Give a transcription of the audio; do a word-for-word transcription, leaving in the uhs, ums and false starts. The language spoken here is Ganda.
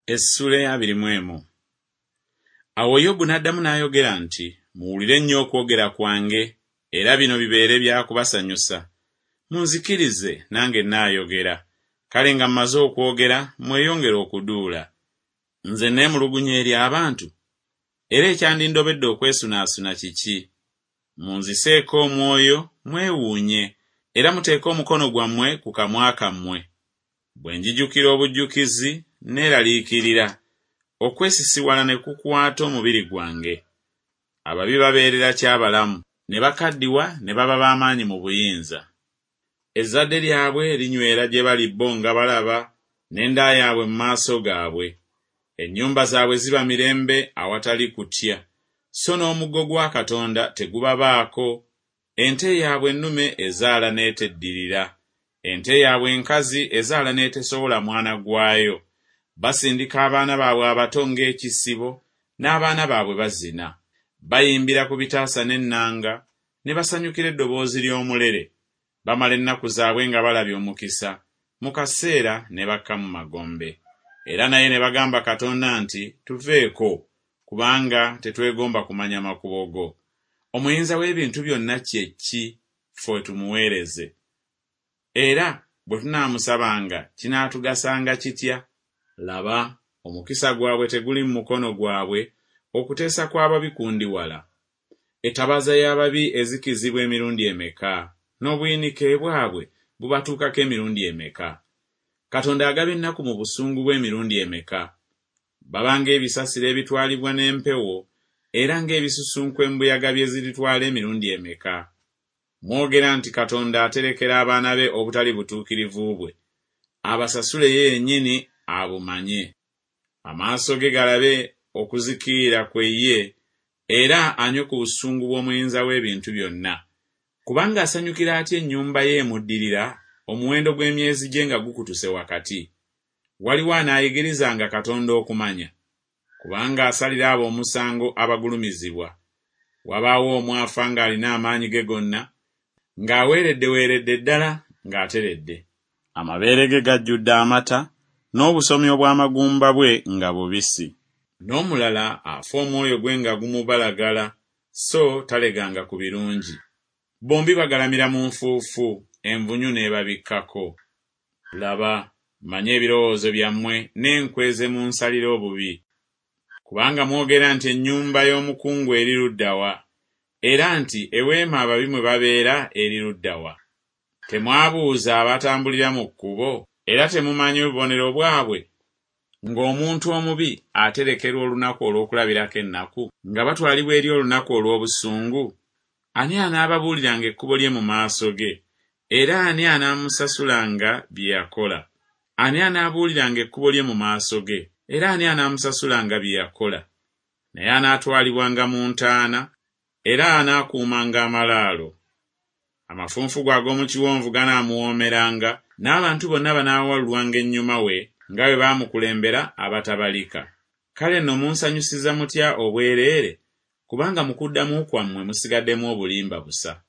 Essuula ey'abiri mu emu. Awo Yobu n'addamu n'ayogera nti, Muwulire nnyo okwogera kwange, era bino bibeere bya kubasanyusa. Munzikirize nange nnaayogera. Kale nga mmaze okwogera, mweyongere okuduula. Nze neemulugunya eri abantu? Era ekyandindobedde okwesunaasuna kiki? Munziseeko omwoyo, mwewuunye, era muteeke omukono gwammwe ku kamwa kammwe. Bwe njijukira obujjukizi, neeraliikirira, okwesisiwala ne kukwata omubiri gwange. Ababi babeerera ki abalamu, ne bakaddiwa ne baba b'amaanyi mu buyinza. Ezzadde lyabwe linywera gye bali bo nga balaba, n'enda yaabwe mu maaso gaabwe. Ennyumba zaabwe ziba mirembe awatali kutya, so n'omuggo gwa Katonda tegubabaako. Ente yaabwe ennume ezaala n'eteddirira, ente yaabwe enkazi ezaala n'etesobola mwana gwayo. Basindika abaana baabwe abato ng'ekisibo, n'abaana baabwe bazina. Bayimbira ku bitaasa n'ennanga, ne basanyukira eddoboozi ly'omulere. Bamala ennaku zaabwe nga balabye omukisa, mu kaseera ne bakka mu magombe. Era naye ne bagamba Katonda nti, Tuveeko, kubanga tetwegomba kumanya makubo go. Omuyinza w'ebintu byonna kye ki, ffe tumuweereze? Era bwe tunaamusabanga kinaatugasanga kitya? Laba, omukisa gwabwe teguli mu mukono gwabwe, okuteesa kw'ababi kundi wala. Ettabaaza y'ababi ezikizibwa emirundi emeka, n'obuyinike bwabwe bubatuukako emirundi emeka? Katonda agaba ennaku mu busungu bwe emirundi emeka? Baba ng'ebisasiro ebitwalibwa n'empewo, era ng'ebisusunku embuyaga bye ziritwala emirundi emeka? Mwogera nti Katonda aterekera abaana be obutali butuukirivu bwe, abasasule ye yennyini abumanye. Amaaso ge galabe okuzikirira kwe ye, era anywe ku busungu bw'Omuyinza w'ebintu byonna. Kubanga asanyukira atya ennyumba ye emuddirira, omuwendo gw'emyezi gye nga gukutuse wakati? Waliwo anaayigirizanga Katonda okumanya? Kubanga asalira abo omusango abagulumizibwa. Wabaawo omu afa ng'alina amaanyi ge gonna, ng'aweereddeweeredde ddala ng'ateredde. Amabeere ge gajjudde amata, n'obusomi obw'amagumba bwe nga bubisi. N'omulala afa omwoyo gwe nga gumubalagala, so taleganga ku birungi. Bombi bagalamira mu nfuufu, envunyu n'ebabikkako. Laba, mmanyi ebirowoozo byammwe n'enkwe ze munsalira obubi. Kubanga mwogera nti ennyumba y'omukungu eri ludda wa, era nti eweema ababi mwe babeera eri ludda wa? Temwabuuza abatambulira mu kkubo, era temumanyi bubonero bwabwe? Ng'omuntu omubi aterekerwa olunaku olw'okulabirako ennaku, nga batwalibwa eri olunaku olw'obusungu? Ani anaababuuliranga ekkubo lye mu maaso ge? Era ani anaamusasulanga bye yakola? Ani anaabuuliranga ekkubo lye mu maaso ge? Era ani anaamusasulanga bye yakola? Naye anaatwalibwanga mu ntaana, era anaakuumanga amalaalo. Amafunfugu ag'omu kiwonvu ganaamuwoomeranga, n'abantu bonna banaawalulwanga ennyuma we, nga bwe baamukulembera abatabalika. Kale nno munsanyusiza mutya obwereere? Kubanga mu kuddamu kwammwe musigaddemu obulimba busa.